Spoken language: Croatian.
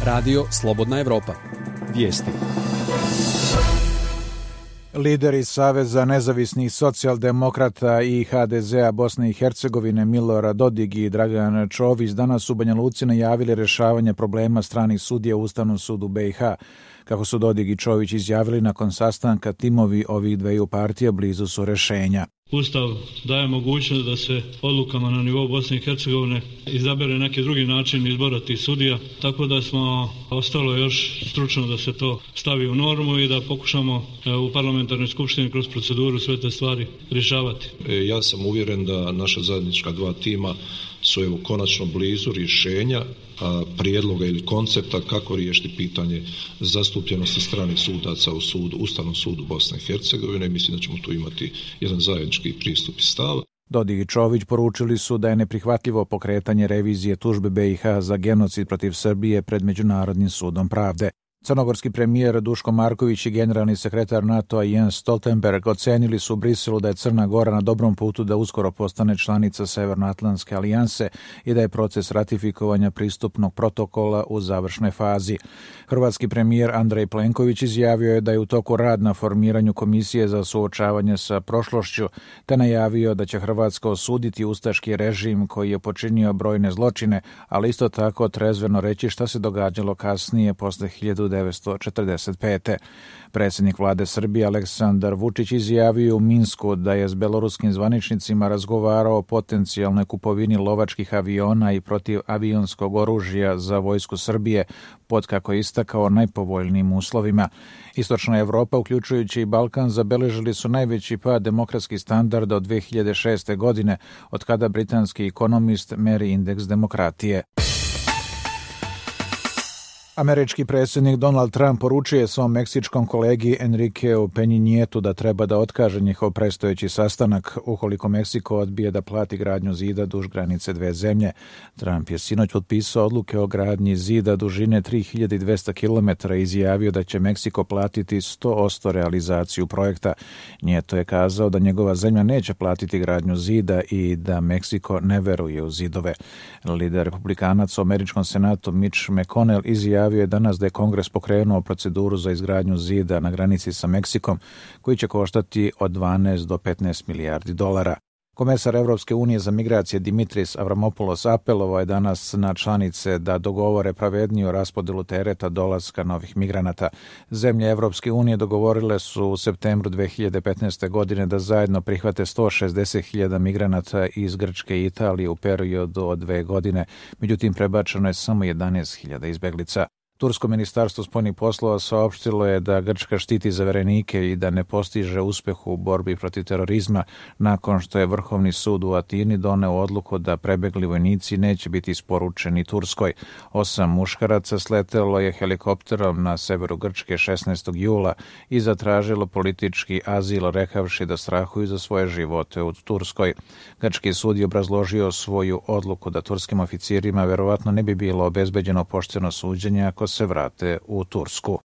Radio Slobodna Evropa. Vijesti. Lideri Saveza nezavisnih socijaldemokrata i HDZ-a Bosne i Hercegovine Milorad Dodik i Dragan Čović danas u Banja Luci najavili rješavanje problema stranih sudija u Ustavnom sudu BiH. Kako su Dodik i Čović izjavili nakon sastanka, timovi ovih dveju partija blizu su rješenja. Ustav daje mogućnost da se odlukama na nivou Bosne i Hercegovine izabere neki drugi način izbora tih sudija, tako da smo ostalo još stručno da se to stavi u normu i da pokušamo u parlamentarnoj skupštini kroz proceduru sve te stvari rješavati. Ja sam uvjeren da naša zajednička dva tima su konačno blizu rješenja prijedloga ili koncepta kako riješiti pitanje zastupljenosti stranih sudaca u Ustavnom sudu Bosne i Hercegovine i mislim da ćemo tu imati jedan zajednički pristup i stav. Dodik i Čović poručili su da je neprihvatljivo pokretanje revizije tužbe BiH za genocid protiv Srbije pred Međunarodnim sudom pravde. Crnogorski premijer Duško Marković i generalni sekretar NATO-a Jens Stoltenberg ocenili su u Briselu da je Crna Gora na dobrom putu da uskoro postane članica Severnoatlantske alijanse i da je proces ratifikovanja pristupnog protokola u završnoj fazi. Hrvatski premijer Andrej Plenković izjavio je da je u toku rad na formiranju komisije za suočavanje sa prošlošću, te najavio da će Hrvatska osuditi ustaški režim koji je počinio brojne zločine, ali isto tako trezveno reći šta se događalo kasnije posle 1945. Predsjednik vlade Srbije Aleksandar Vučić izjavio u Minsku da je s beloruskim zvaničnicima razgovarao o potencijalnoj kupovini lovačkih aviona i protivavionskog oružja za vojsku Srbije pod, kako je istakao, najpovoljnijim uslovima. Istočna Evropa, uključujući i Balkan, zabeležili su najveći pad demokratskih standarda od 2006. godine, od kada britanski ekonomist meri indeks demokratije. Američki predsjednik Donald Trump poručuje svom meksičkom kolegi Enriqueu Peña Nietu da treba da otkaže njihov predstojeći sastanak ukoliko Meksiko odbije da plati gradnju zida duž granice dve zemlje. Trump je sinoć potpisao odluke o gradnji zida dužine 3200 km i izjavio da će Meksiko platiti 100% realizaciju projekta. Nieto je kazao da njegova zemlja neće platiti gradnju zida i da Meksiko ne veruje u zidove. Lider republikanaca u američkom senatu Mitch McConnell izjavio je danas da je Kongres pokrenuo proceduru za izgradnju zida na granici sa Meksikom, koji će koštati od 12 do 15 milijardi dolara. Komesar Evropske unije za migracije Dimitris Avramopoulos apelovao je danas na članice da dogovore pravedniju raspodelu tereta dolaska novih migranata. Zemlje Evropske unije dogovorile su u septembru 2015. godine da zajedno prihvate 160.000 migranata iz Grčke i Italije u periodu od 2 godine, međutim prebačeno je samo 11.000 izbeglica. Tursko ministarstvo spoljnih poslova saopštilo je da Grčka štiti zaverenike i da ne postiže uspeh u borbi protiv terorizma nakon što je Vrhovni sud u Atini doneo odluku da prebegli vojnici neće biti isporučeni Turskoj. 8 muškaraca sletelo je helikopterom na severu Grčke 16. jula i zatražilo politički azil rekavši da strahuju za svoje živote u Turskoj. Grčki sud je obrazložio svoju odluku da turskim oficirima verovatno ne bi bilo obezbeđeno pošteno suđenje ako se vrate u Tursku.